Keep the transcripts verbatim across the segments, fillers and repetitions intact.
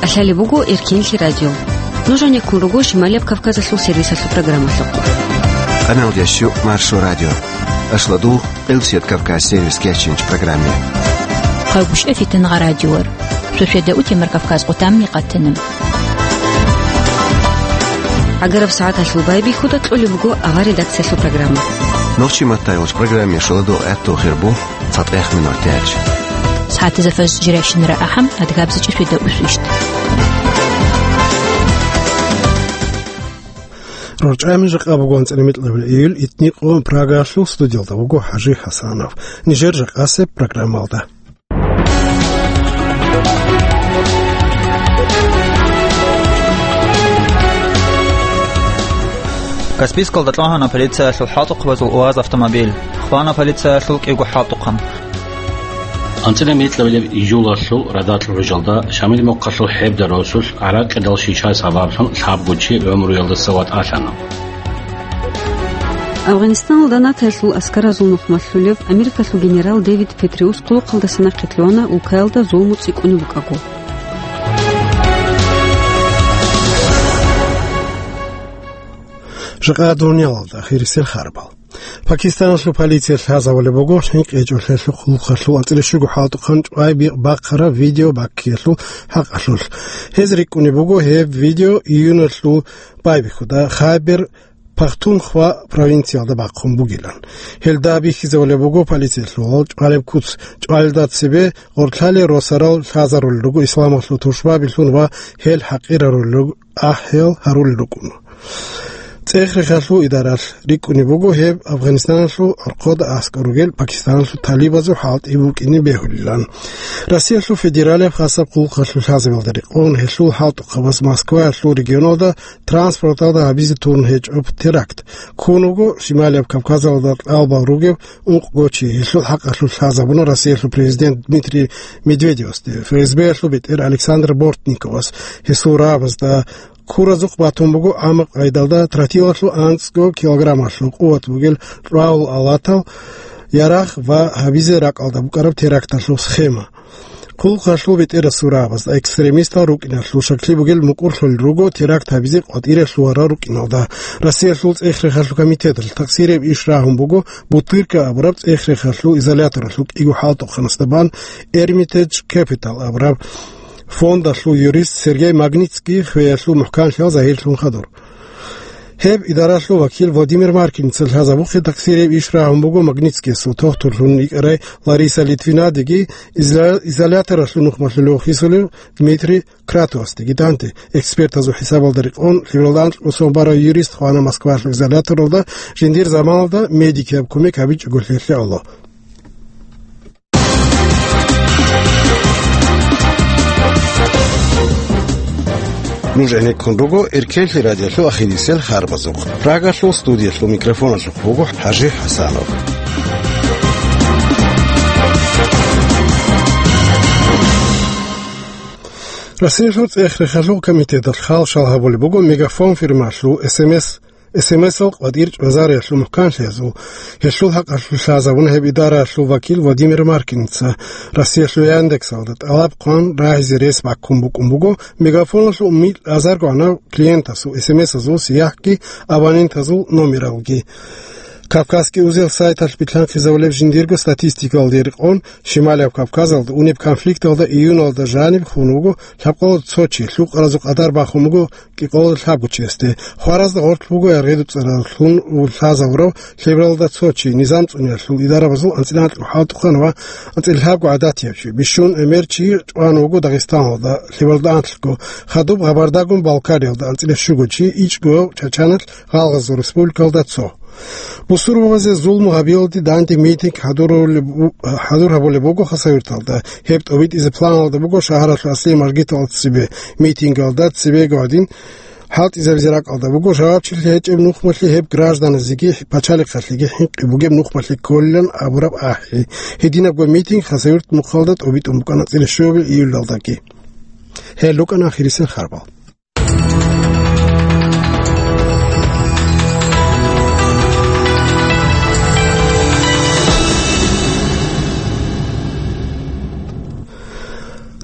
КӀалъалеб буго Эркенлъи радио. Нуж гьанеккун руго Шималияб Кавказалъул сервисалъул программалъухъ. Къаналда щу Маршо радио. Ашладул Къилсият Кавказ сервис кечинч программе. Хъагушев Фитангъа радиор. Сосиеда утемар Кавказ къутамни къатана. ГӀагараб сагӀаталъул байбихьуда кьолеб буго авар редакциялъул программа. Нохчи маттайолч программе шуладул гӀатту хирбу цатӀех минор тяч. СагӀатазда фаз жирайщинара ахӀам адгабзичӀи светда усвищт. РорчӀами жакъа буго анцӀила микьабил июль, итникъо Прагаялъул студиялда вуго ХӀажи ХӀасанов. Нижер жакъасеб программалда. Каспийскалда кьвагьана полициялъул хӀалтӀухъабазул УАЗ автомобиль. Хвана полициялъул кӀиго хӀалтӀухъан. АнцӀила микьабилеб июлалъул радакьа гӀужалда Шамил мухъалъул хӀебда росулъ гӀаракъидал шиша сабаблъун лъабго чи гӀумруялдаса ватӀалъана. Афганистаналда НАТОялъул аскаразул нухмалъулев Америкалъул генерал Дэвид Петреус хъулухъалдаса нахъе лъугьана улкаялда зулму цӀикӀкӀунеб букӀаго. Жакъа дуниялалда хирисел харбал. Пакистаналъул полиция лъазабулеб буго хӀинкъичӀолъиялъул хъулухъалъул анцӀила щуго хӀалтӀухъан чӀвай бихъ бахъараб видео баккиялъул хӀакъалъулъ. Гьез рикӀкӀунеб буго гьеб видео июналъул байбихьуда Хайбер Пахтунхва провинциялда бахъун бугилан. Гьелда бихьизабулеб буго полициялъул чӀвалеб куц. ЧӀвалелда цебе гъорлъали росарал лъазарулел руго исламалъул тушбабилъун ва гьел хӀакъирарулел руго, ахӀиял гьарулел рукӀун. ЦӀех-рехалъул идаралъ рикӀкӀунеб буго гьеб Афганистаналъул гӀорхъода аскӀор ругел Пакистаналъул талибазул хӀалтӀи букӀине бегьулилан. Россиялъул федералияб хасаб хъулухъалъул лъазабиялда рекъон гьелъул хӀалтӀухъабаз Москваялъул регионалда транспорталда гьабизе турун гьечӀо теракт. Ккун вуго Шималияб Кавказалда кьалбал ругев ункъго чи, гьелъул хӀакъалъулъ лъазабуна Россиялъул президент Дмитрий Медведевасде, ФСБ-ялъул бетӀер Александр Бортниковас, гьесул рагӀабазда. Куразухъ батун буго гӀаммаб къайдалда тротилалъул анцӀго килограммалъул къуват бугел кьвагьул алатал ярагъ ва гьабизе ракӀалда букӀараб теракталъул схема. Хъулухъалъул бетӀерасул рагӀабазда экстремистал рукӀиналъул шакли бугел мукӀурлъулел руго теракт гьабизе къватӀире лъугьарал рукӀиналда. Россиялъул цӀех-рехалъул комитеталъ тахсирияб иш рагьун буго Бутырка абураб цӀех-рехалъул изоляторалъул кӀиго хӀалтӀухъанасда бан Эрмитедж Кепитал абураб фондалъул юрист Сергей Магнитский хвеялъул мухӀканлъиялда загьирлъун хадур. Гьеб идаралъул вакил Владимир Маркиница лъазабухъе тахсирияб иш рагьун буго Магнитскиясул тохтурлъун йикӀарай Лариса Литвинадеги изоля-, изоляторалъул нухмалъулев хисулев Дмитрий Кратосдеги данде. Экспертазул хӀисабалда рекъон, лъивалда анкьго сон барав юрист хвана Москвалъул изоляторалда, жиндир заманалда медикияб кумек гьабичӀого лъелъе Аллагь. Нуж гӀенеккун руго Эркенлъи радиолъул ахирисел харбазухъ. Прагалъул студиялъул микрофоналъухъ вуго ХӀажи ХӀасанов. Россиялъул цӀех-рехалъул комитеталъ хал-шал гьабулеб буго Мегафон фирмалъул СМС СМС-ал къватӀир чӀвазариялъул мухӀканлъиязул, гьелъул хӀакъалъулъ лъазабуна гьеб идараялъул вакил Владимир Маркиница. Россиялъул Яндексалда тӀалаб хъван рагьизе рес баккун букӀун буго Мегафоналъул микь азарго гьанав клиентасул СМС-азул сияхӀги абонентазул номералги. Кавказский узел сайталъ билълъанхъизабулеб жиндирго статистикалде рекъон, Шималияб Кавказалда унеб конфликталда июналда жаниб хун вуго лъабкъоялда цо чи, лъукъаразул къадар бахун буго кӀикъоялда лъабго чиясде. Хваразда гъорлъ буго яргъи-дуцӀараллъун лъазабурав лъебералда цо чи, низам цӀуниялъул идарабазул анцӀила анкьго хӀалтӀухъан ва анцӀила лъабго гӀадатияб чи. Бищун гӀемер чи чӀван вуго Дагъистаналда, лъебералда анлъго, хадуб Гъабардагун Балкариялда анцӀила щуго чи, ичӀго Чачаналъ, Гъалгъазул республикалда цо. Бусурбабазе зулму гьабиялде данде митинг хӀадурулеб бу-, хӀадур гьабулеб буго Хасавюрталда. Гьеб тӀобитӀизе планалда буго шагьаралъул аслияб маржгиталда цебе. Митингалда цебего гьадин хӀалтӀизабизе ракӀалда буго жавабчилъи гьечӀеб нухмалъи гьеб гражданазеги пачалихъалъеги хӀинкъи бугеб нухмалъи кколилан абураб ахӀи. Гьединабго митинг Хасавюрт мухъалда тӀобитӀун букӀана цӀилищуябил июлалдаги. Гьел рукӀана ахирисел харбал.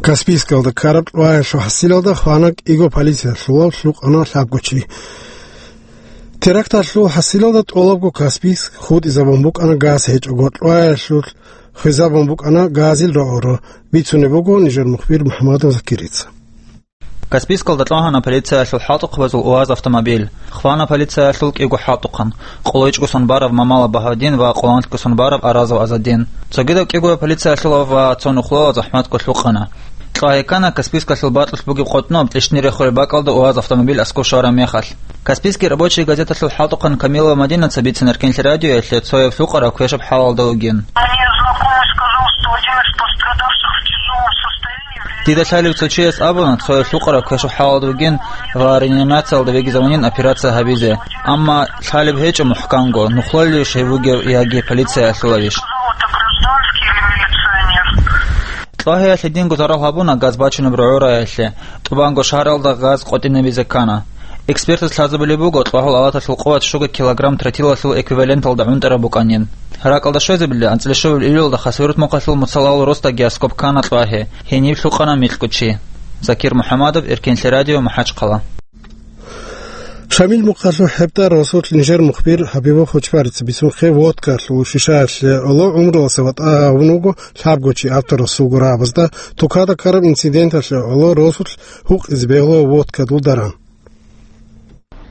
Каспийскалда ккараб кьваялъул хӀасилалда хвана кӀиго полициялъулав лъукъана лъабго чи. Теракталъул хӀасилалда тӀолабго Каспийск хутӀизабун букӀана газ гьечӀого, кьваялъул хвезабун букӀана газил рогӀоро, бицунеб буго нижер мухбир МухӀамадов Закирица. Каспийскалда кьвагьана полициялъул хӀалтӀухъабазул УАЗ автомобиль. Хвана полициялъул кӀиго хӀалтӀухъан: къоло ичӀгосан барав Мамалов Багьавдин ва къоло анлъгосан барав Аразов Азадин. Цогидав кӀиго полициялъулав ва цо нухлуялъ захӀматго лъукъана. Кьвагье ккана Каспийскалъул бакьулъ бугеб къотӀноб, тӀищни рехулеб бакӀалда УАЗ автомобиль аскӀов щвараб мехалъ. Каспийский рабочий газеталъул хӀалтӀухъан Камилова Мадинаца бицина Эркенлъи радиоялъе цояв лъукъарав квешаб хӀалалда вугин. Мне знакомый сказал, что один из пострадавших в тяжелом состоянии. Дида лъалев цо чияс абуна, цояв лъукъарав квешаб хӀалалда вугин ва реанимациялда вегизавунин операция гьабизе. Амма лъалеб гьечӀо мухӀканго, нухлалищ гьев вугев яги полициялъулавищ. Кьвагьиялъе динго зарал гьабуна газ бачунеб рогӀораялъе, тӀубанго шагьаралда газ къотӀинабизе ккана. Экспертаз лъазабулеб буго, кьвагьул алаталъул къуват щуго килограмм тротилалъул эквиваленталда гӀунтӀараб букӀанин. РакӀалда щвезабилла анцӀила щуабилеб июлалда Хасавюрт мухъалъул Муцалал росда гироскоп ккана кьвагьи, гьениб лъукъана микьго чи. Закир МухӀамадов, Эркенлъи радио, МахӀачхъала. Шамил мухъалъул ХӀебда росулъ нижер мухбир ХӀабибов Хочбарица бицунхъе водкалъул шишаялъе гӀоло гӀумруялдаса ватӀа гьавун вуго лъабго чи, авторасулго рагӀабазда тукада ккараб инциденталъе гӀоло росулъ гьукъизе бегьула водкадул даран.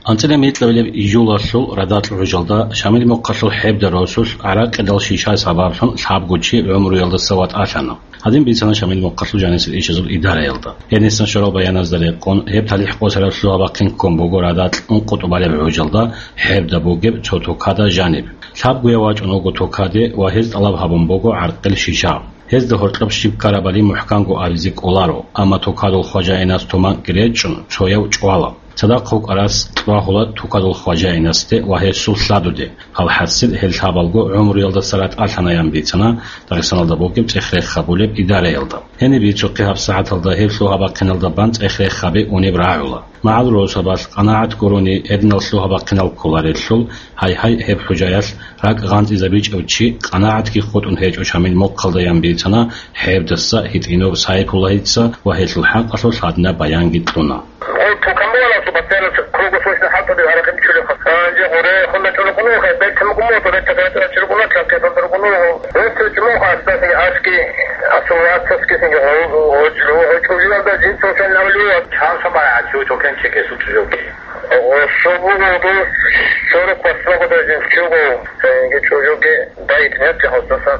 АнцӀила микьабилеб июлалъул радакь гӀужалда Шамил мухъалъул ХӀебда росулъ гӀаракъидал шиша сабаблъун лъабго чи гӀумруялдаса ватӀалъана. Гьадин бицана Шамил мухъалъул жанисел ишазул идараялда. Гьенисан щварал баяназда рекъон, гьеб талихӀ къосараб лъугьа-бахъин ккун буго радакь ункъо тӀубалеб гӀужалда ХӀебда бугеб цо тукада жаниб. Лъабгояв вачӀун вуго тукаде ва гьез тӀалаб гьабун буго гӀаркъил шиша. Гьезда гьоркьоб щиб ккарабали мухӀканго абизе кӀоларо, амма тукадул хважаинас туманкӀги речӀчӀун, цояв чӀвала. Цадахъ вукӀарас кьвагьула тукадул хважаинасде ва гьесул лъадуде. Гьал хӀасил гьел лъабалго гӀумруялдаса ратӀалъанаян бицана Дагъистаналда бугеб цӀех-рех гьабулеб идараялда. Гьениб бицухъе гьабсагӀаталда гьеб лъугьа-бахъиналда бан цӀех-рех гьабе унеб рагӀула. МагӀал росабалъ къанагӀат гурони гьединал лъугьа-бахъинал кколарелъул, гьай-гьай, гьеб хӀужаялъ ракӀ гъанцӀизабичӀев чи къанагӀатги хутӀун гьечӀо Шамил мухъалдаян бицана ХӀебдаса ГьитӀинов Сайпуллагьица ва гьелъул хӀакъалъулъ гьадинаб баянги кьуна. Гъов тукамула субатберас круглосрочно хӀалтӀуде гьаракь бичулеб хас. Гьанже гъоре хунда чӀолукъунуха, бертамукъумуха, бертаб бертаб чӀолукъуна, чӀолукъуна. Гъов чӀумуха, аски, аски, асулвацаски синги гъов, гъов чӀужуялда жин цосан навлюва. Чан сабай гӀачу чокен чекесу чӀужуги. Гъов шобугу ду сорок восьмого даже чугу, синги чӀужуги. Дайт, нет, я хостаса.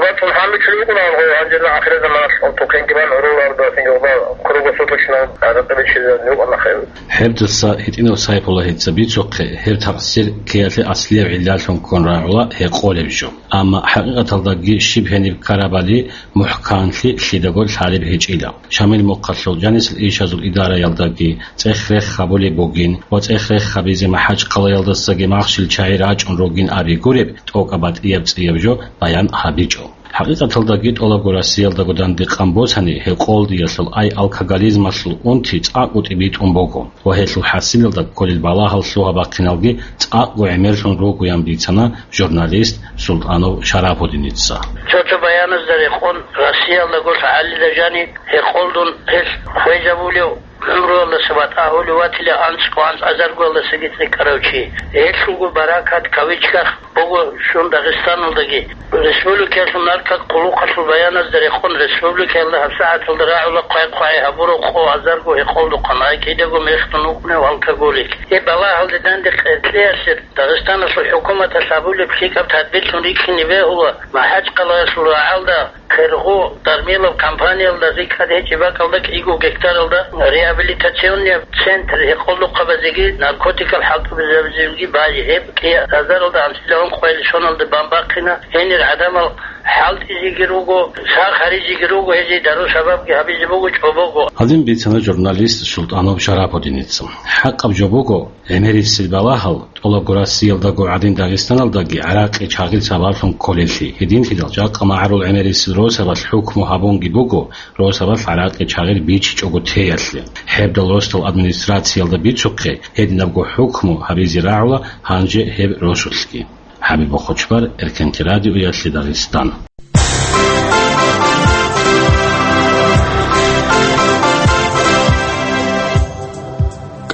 Батун хӀамбичӀлъи вукӀунаан гъо, гьанжеда ахирзаманалъ тукенги бан гӀуруларда, синги гъоба круглосуточно гӀаракьи бичизе нугӀа нахъе. ХӀебдаса ГьитӀинов Сайпуллагьица бицухъе, гьеб такъсир ккеялъе аслияб гӀиллалъун ккун рагӀула гьекъолеб жо. Амма хӀакъикъаталдаги щиб гьениб ккарабали мухӀканлъи лъидаго лъалеб гьечӀила. Шамил мухъалъул жанисел ишазул идараялдаги цӀех-рех гьабулеб бугин ва цӀех-рех гьабизе МахӀачхъалаялдасаги махщел чагӀи рачӀун ругин абигуреб, тӀокӀаб батӀияб цӀияб жо баян гьабичӀо. ХӀакъикъаталдаги тӀолабго Россиялдаго дандекъан босани, гьекъолдиялъул, ай алкоголизмалъул унти цӀакъго тӀибитӀун буго ва гьелъул хӀасилалда кколел балагьал лъугьа-бахъиналги цӀакъго гӀемерлъун ругоян бицана журналист Султанов Шарапудиница. Цо-цо баяназда рекъон, Россиялдаго лъагӀалида жаниб гьекъолдун гьелъ хвезабулев, гӀумруялдаса ватӀа гьолев ватила анцӀго анцӀазаргоялдасаги цӀикӀкӀарав чи. Гьелъулго баракат, кавычках, буго щун Дагъистаналдаги. Республикаялъул наркокъулухъалъул баяназда рекъон, республикаялда гьабсагӀаталда рагӀула хъвай-хъвай гьабураб къо азарго гьекъолдухъан, ай кидаго мехтун вукӀунев алкоголик. Гьеб балагьалде данде къеркьеялъе Дагъистаналъул хӀукуматалъ гьабулеб лъикӀаб тадбирлъун рихьине бегьула МахӀачхъалаялъул рагӀалда Кергъу Дармилов компаниялда рикӀкӀад гьечӀеб бакӀалда кӀиго гектаралда реабилитационный центр гьекъолдухъабазеги наркотикал хӀалтӀубазабазеги базе. Гьеб кӀиазаралда анцӀила ункъоялде соналда бан бахъина. Гьенир гӀадамал хӀалтӀизеги руго, сах гьаризеги руго, гьезие дару-сабабги гьабизе буго, чӀобого. Гьадин бицана журналист Султанов Шарапудиница. ХӀакъаб жо буго, гӀемерисел балагьал тӀолабго Россиялдаго гӀадин Дагъистаналдаги гӀаракъи чагъир сабаблъун кколеллъи. Гьединлъидал жакъа магӀарул гӀемерисел росабалъ хӀукму гьабунги буго, росабалъ гӀаракъи чагъир бичичӀого теялъе. ХӀебдал росдал администрациялда бицухъе, гьединабго хӀукму гьабизе рагӀула гьанже гьеб росулъги. ХӀабиб Бохочбар, Эркенти радиоялъе Дагъистан.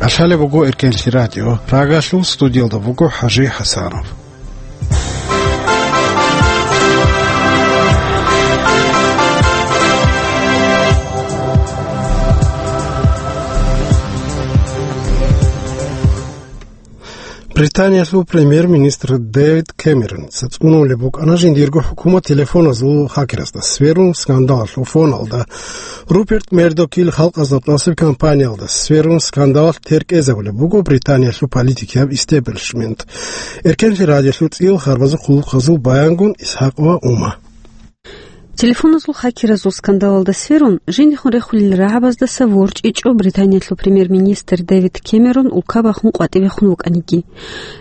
Кьалъалеб буго Эркенлъи радио. Прагалъул студиялда буго ХӀажи ХӀасанов. Британиялъул премьер-министр Дэвид Кэмероница цӀунулеб букӀана жиндирго хӀукумат телефоназул хакеразда сверун скандалалъул фоналда. Руперт Мердокил халкъазда тӀасеб компаниялда сверун скандалалъ теркӀезабулеб буго Британиялъул политикияб истеблишмент. Эркенлъи радиолъул цӀил харбазул хъулухъазул баянгун Исхакова Ума. Телефоназул хакеразул скандалалда сверун, жиндихун рехулел рагӀабаздаса ворчӀичӀо Британиялъул премьер-министр Дэвид Кэмерон улка бахун къватӀибехун вукӀаниги.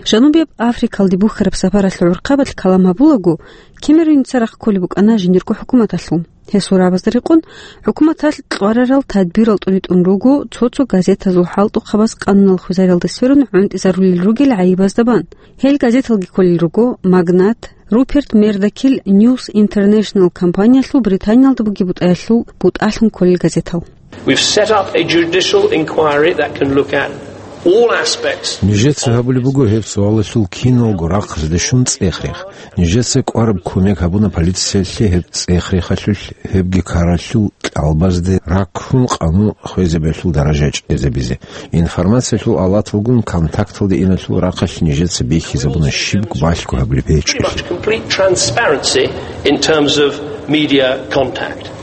Жанубияб Африкалде бухьараб сапаралъул гӀурхъабалъ калам гьабулаго, Кэмероница рахъ кколеб букӀана жиндирго хӀукуматалъул. Гьесул рагӀабазда рекъон, хӀукуматалъ кьварарал тадбирал тӀуритӀун руго, цо-цо газетазул хӀалтӀухъабаз къануналъ хвезариялда сверун гӀунтӀизарулел ругел гӀайибазда бан. Гьел газеталги кколел руго «Магнат», Руперт Мердокил News International компаниялъул Британиялда бугеб бутӀаялъул бутӀалъун кколел газетал. We've set up a judicial inquiry that can look at all aspects. Нижеца гьабулеб буго гьеб суалалъул киналго рахъалде щун цӀех-рех. Нижеца кӀвараб кумек гьабуна полициялъе гьеб цӀех-рехалъулъ, гьебги ккаралъул кьалбазде раккун къанун хвезабиялъул даража чӀезабизе. Информациялъул алаталгун контакталде иналъул рахъалъ нижеца бихьизабуна щибго балъго гьабулеб гьечӀолъи. Pretty much complete transparency in terms of media contact.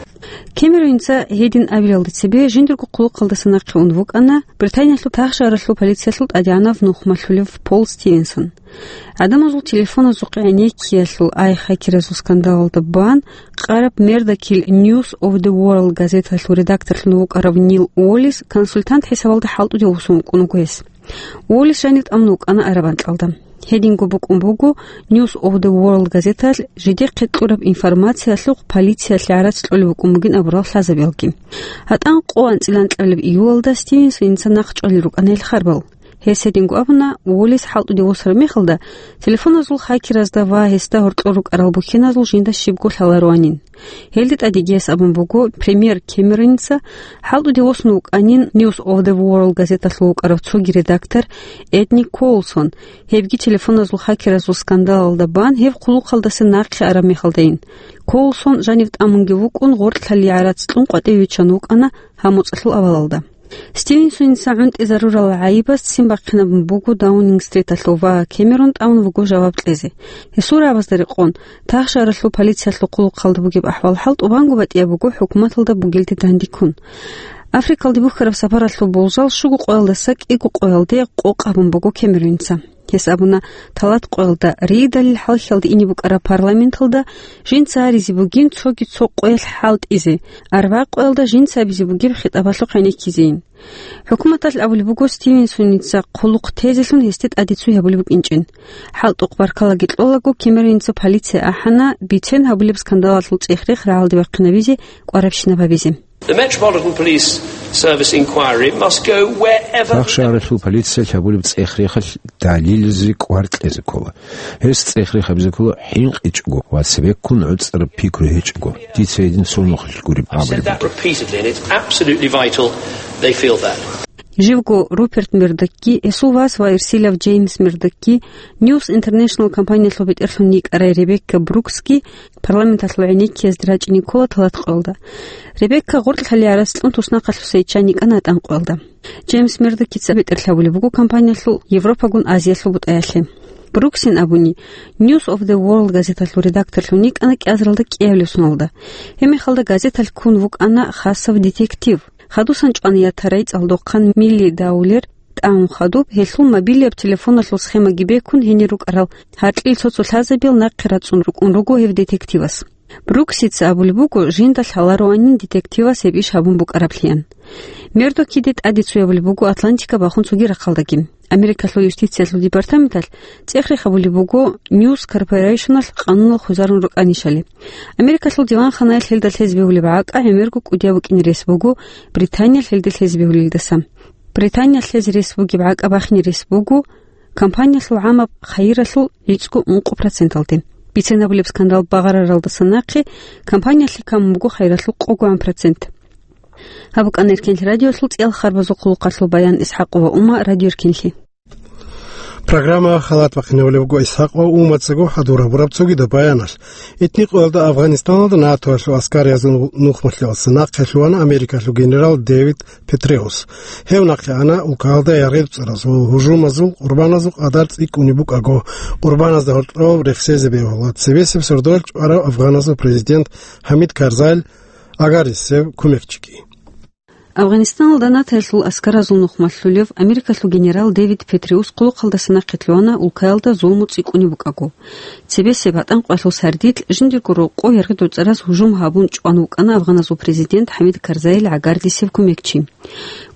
Кэмероница гьедин абилалда цебе жиндирго хъулухъалдаса нахъе ун вукӀана Британиялъул тахшагьаралъул полициялъул тӀадегӀанав нухмалъулев Пол Стивенсон. ГӀадамазул телефоназухъе гӀенеккиялъул ай хакеразул скандалалда бан къараб Мердокил News of the World газеталъул редакторлъун вукӀарав Нил Уоллис консультант хӀисабалда хӀалтӀуде вуссун вукӀун вуго гьес. Уоллис жанив тӀамун вукӀана араб анкьалда. Гьединго букӀун буго News of the World газеталъ жидехъе кьураб информациялъухъ полициялъе гӀарац кьолеб букӀун бугин абурал лъазабиялги. ГьатӀан къо анцӀила анкьабилеб июлалда Стивенсоница нахъ чӀвалел рукӀана гьел харбал. Гьес гьединго абуна, Уоллис хӀалтӀуде вуссараб мехалда, телефоназул хакеразда ва гьесда гьоркьор рукӀарал бухьиназул жинда щибго лъалароанин. Гьелде тӀадеги гьес абун буго, премьер Кэмероница хӀалтӀуде вуссун вукӀанин News of the World газеталъул вукӀарав цоги редактор Эдни Коулсон, гьебги телефоназул хакеразул скандалалда бан гьеб хъулухъалдаса нахъе араб мехалдайин. Коулсон жанив тӀамунги вукӀун гъоркьлъалие гӀарац кьун къватӀиве виччан вукӀана гьаб моцӀалъул авалалда. Стивенсоница гӀунтӀизарурал гӀайибаз ццин бахъинабун буго Даунинг-стриталъув ва Кэмерон тӀамун вуго жаваб кьезе. Гьесул рагӀабазда рекъон, тахшагьаралъул полициялъул хъулухъалда бугеб ахӀвал-хӀал тӀубанго батӀияб буго хӀукуматалда бугелде дандеккун. Африкалде бухьараб сапаралъул болжал щуго къоялдаса кӀиго къоялде къокъ абун буго Кэмероница. Гьес абуна, талат къоялда, ригьидалил хӀалхьиялда ине букӀараб парламенталда жинца гьаризе бугин цоги цо къоялъ хӀалтӀизе, арбагъ къоялда жинца гьабизе бугеб хитӀабалъухъ гӀенеккизейин. ХӀукуматалъ абулеб буго Стивенсоница хъулухъ тезелъун гьесде тӀаде цуй гьабулеб букӀинчӀин. ХӀалтӀухъ баркалаги кьолаго, Кэмероница полицияе ахӀана бицен гьабулеб скандалалъул цӀех-рех рагӀалде вахъинабизе, кӀварабщинаб гьабизе. The Metropolitan Police Service inquiry must go wherever the Тахшагьаралъул полициялъ гьабулеб цӀех-рехалъ далилазе кӀвар кьезе ккола. Гьес цӀех-рех гьабизе ккола хӀинкъичӀого ва цебеккун гӀуцӀараб пикру гьечӀого. Дица гьедин цо нухалъ гуреб абулеб буго. I've said that repeatedly, and it's absolutely vital they feel that. Живго Руперт Мердокги, гьесул вас ва эрсилав Джеймс Мердокги, News International компаниялъул бетӀерлъун йикӀарай Ребекка Бруксги парламенталъул гӀенеккиязде рачӀине ккола талат къоялда. Ребекка гъоркьлъалие гӀарац кьун туснахъалъуса йиччан йикӀана гьатӀан къоялда. Джеймс Мердокица бетӀерлъи гьабулеб буго компаниялъул Европагун Азиялъул бутӀаялъе. Бруксин абуни, News of the World газеталъул редакторлъун йикӀана кӀиазаралда кӀиабилеб соналда. Гьеб мехалда газеталъ ккун вукӀана хасав детектив. Хадусан чӀвана ятарай цӀалдохъан Милли Даулер, тӀамун хадуб, гьелъул мобилияб телефоналъул схемаги бекун гьенир рукӀарал гьаркьил цо-цо лъазабиял нахъе рацӀцӀун рукӀун руго гьев детективас. Бруксица абулеб буго, жинда лъалароанин детективас гьеб иш гьабун букӀараблъиян. Мердокиде тӀаде цуй абулеб буго Атлантика бахун цоги рахъалдаги. Америкалъул юстициялъул департаменталъ цӀех-рех гьабулеб буго News Corporation-алъ къануналъ хвезарун рукӀанищали. Америкалъул диванханаялъ гьелда лъезе бегьулеб гӀакӀа гӀемерго кӀудияб букӀине рес буго Британиялъ гьелде лъезе бегьулелдаса. Британиялъ лъезе рес бугеб гӀакӀа бахине рес буго компаниялъул гӀамаб хайиралъул гӀицӀго ункъо проценталде. Бицен гьабулеб скандал багъараралдаса нахъе компаниялъе камун буго хайиралъул къогогӀан процент. Гьаб букӀана Эркенлъи радиолъул цӀиял харбазул хъулухъалъул баян. ИсхӀакъова Ума, Радио Эркенлъи. Программа халат бахъинабулеб буго ИсхӀакъова Умацаго хӀадур гьабураб цогидаб баяналъ. Итни къоялда Афганистаналда НАТОялъул аскариязул нухмалъиялдаса нахъе лъугьана Америкалъул генерал Дэвид Петреус. Гьев нахъе ана улкаялда яргъи-дуцӀаразул гьужумазул къурбаназул къадар цӀикӀкӀунеб букӀаго, къурбаназда гьоркьоб рехсезе бегьула цебесеб сордоялъ чӀварав афганазул президент ХӀамид Карзайил гӀагарлъисев кумекчиги. Афганистаналда НАТОялъул аскаразул нухмалъулев Америкалъул генерал Дэвид Петреус хъулухъалдаса нахъе лъугьана улкаялда зулму цӀикӀкӀунеб букӀаго. Цебесеб гьатӀанкъоялъул сардилъ жиндирго рокъов яргъи-дуцӀараз гьужум гьабун чӀван вукӀана афганазул президент ХӀамид Карзайил гӀагарлъисев кумекчи.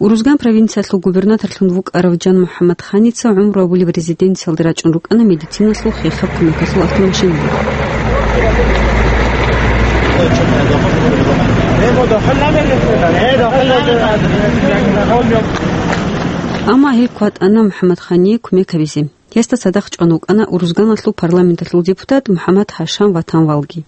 Урузган провинциялъул губернаторлъун вукӀарав Джан-МухӀаммад Ханица гӀумру абулеб резиденциялде рачӀун рукӀана медициналъул хехаб кумекалъул автомашиналда. Амма гьел кватӀана МухӀаммад Хание кумек гьабизе. Гьесда цадахъ чӀван вукӀана Урузганалъул парламенталъул депутат МухӀаммад Хашам Ватанвалги.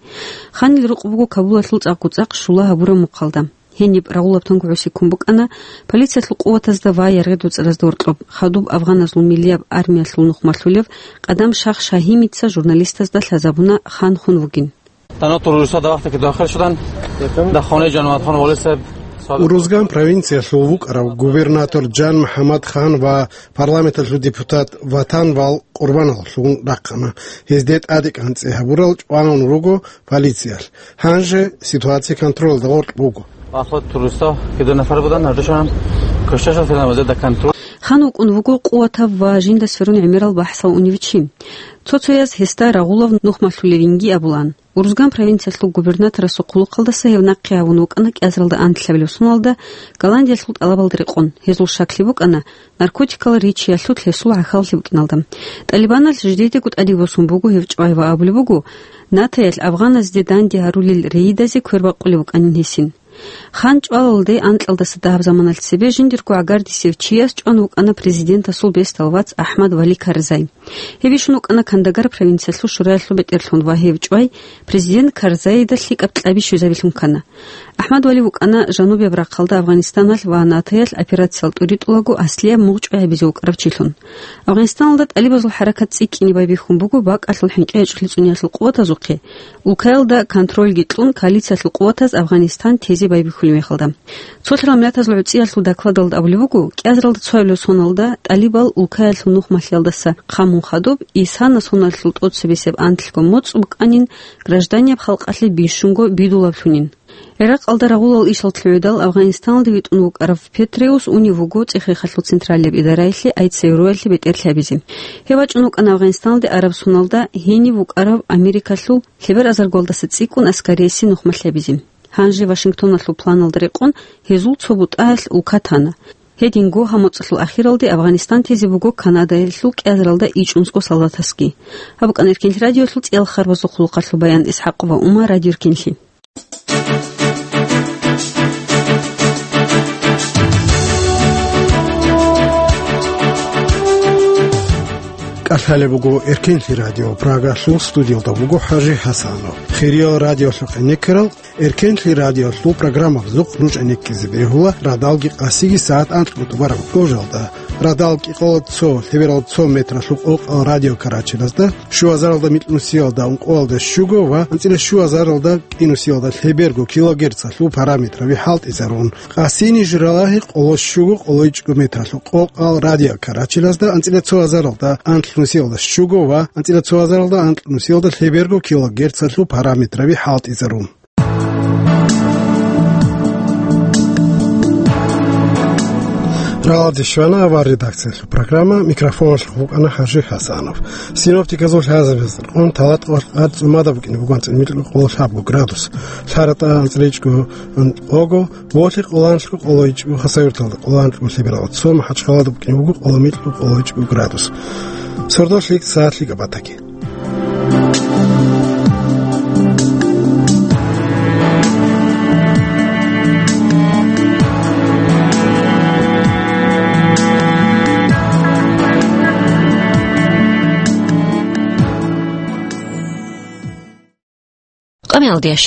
Ханил рукъ буго Кабулалъул цӀакъго-цӀакъ щула гьабураб мухъалда. Гьениб рагъулаб тангугӀуси ккун букӀана полициялъул къуватазда ва яргъи-дуцӀаразда гьоркьоб, хадуб афганазул миллияб армиялъул нухмалъулев Къадам Шах Шагьимица журналистазда лъазабуна Хан хун вугин. Дано туруса давахта ки дахъал шудан, дахъоне жанватхан волесеб. Урузган провинциялъул вукӀарав губернатор Джан МухӀаммад Хан ва парламенталъул депутат Ватанвал къурбаналъун рахъана. Гьезде тӀаде кӀанцӀи гьабурал чӀванун руго полициялъ. Гьанже ситуация контролда гъоркь буго. Ахлад туруса кида нафар будан гьардушан кошаша филан вазеда контроль. Хан вукӀун вуго къуватав ва жинда сверун гӀемерал бахӀсал унев чи. Цо-цояз гьесда рагъулав нухмалъулевинги абулан. Урузган провинциялъул губернаторасул хъулухъалдаса гьев нахъе гьавун вукӀана кӀиазаралда анлъабилеб соналда Голландиялъул тӀалабалда рекъон. Гьезул щаклъи букӀана наркотикал ричиялъул гьесул гӀахьаллъи букӀиналда. ТӀалибаналъ жидедего тӀаде босун буго гьев чӀвай ва абулеб буго, НАТОялъ афганазде данде гьарулел рейдазе квербакъулеб букӀанин гьесин. Хан чӀвалалде анкьалдаса дагьаб заманалъ цебе жиндирго гӀагардисев чияс чӀван вукӀана президентасул бесдал вац АхӀмад Вали Карзай. Гьев ишун вукӀана Кандагар провинциялъул шураялъул бетӀерлъун ва гьев чӀвай президент Карзайида лъикӀаб кьаби щвезабилъун ккана. АхӀмад Вали вукӀана жанубияб рахъалда Афганистаналъ ва НАТОялъ операциял тӀуритӀулаго аслияб мугъ чӀвай гьабизе вукӀарав чилъун. Афганистаналда тӀалибазул хӀаракат цӀикӀкӀине байбихьун буго бакӀалъул хӀинкъиячӀлъи цӀунеялъул къуватазухъе, улкаялда контрольги кьун коалициялъул къуватаз Афганистан тезе байбихьулеб мехалда. Цолъарал Миллатазул гӀуцӀиялъул докладалда абулеб буго, кӀиазаралда цоабилеб соналда тӀалибал улкаялъул нухмалъиялдаса хъамун хадуб, исана соналъул тӀоцебесеб анлъго моцӀ букӀанин гражданияб халкъалъе бищунго бидулаблъунин. ГӀиракъалда рагъулал ишал лъугӀидал Афганистаналде витӀун вукӀарав Петреус унев вуго цӀехехалъул централияб идараялъе Айцевруялъе бетӀерлъи гьабизе. Гьев вачӀун вукӀана Афганистаналде араб соналда гьенив вукӀарав Америкалъул лъебер азаргуялдаса цӀикӀкӀун аскариясе нухмалъ гьабизе. Гьанже Вашингтоналъул планалда рекъон гьезул цо бутӀаялъ улка тана. Гьединго гьаб моцӀалъул ахиралде Афганистан тезе буго Канадаялъул кӀиазаралда ичӀнусго солдатасги. Гьаб букӀана Эркенлъи радиолъул цӀиял харбазул хъулухъалъул баян. ИсхӀакъова Ума, Радио Эркенлъи. КӀалъалеб буго Эркенлъи радио, Прагалъул студиялда буго ХӀажи ХӀасанов. Хириял радиолъухъе некерал, Эркенлъи радиолъул программабазухъ нуж гӀенеккизе бегьула радалги къасиги сагӀат анкьго тӀубараб кӀужалда. Радал кӀикъоялда цо, лъебералда цо метралъул къокъал радиокарачелазда, щуазаралда микьнусиялда ункъоялда щуго ва анцӀила щуазаралда кӀинусиялда лъеберго килогерцалъул параметраби хӀалтӀизарун. Къасини журалагьи къоло щуго къоло ичӀго метралъул къокъал радиокарачелазда анцӀила цо азаралда анлънусиялда щуго ва анцӀила цо азаралда анлънусиялда лъеберго килогерцалъул параметраби хӀалтӀизарун. Рагъалде щвана авар редакциялъул программа, микрофоналъухъ вукӀана ХӀажи ХӀасанов. Синоптиказул лъазабазда рекъон, Талатъа къоялъ къад цӀумада букӀине буго анцӀила микьго къоло лъабго градус, ЛъаратӀа анцӀила ичӀго къого, Болъи къоло анлъго къоло ичӀго, Хасавюрталда къоло анлъго лъебералда цо, МахӀачхъалада букӀине буго къоло микьго къоло ичӀго градус. Сордо лъикӀ, сагӀат лъикӀаб батаги. Къамиялдиящ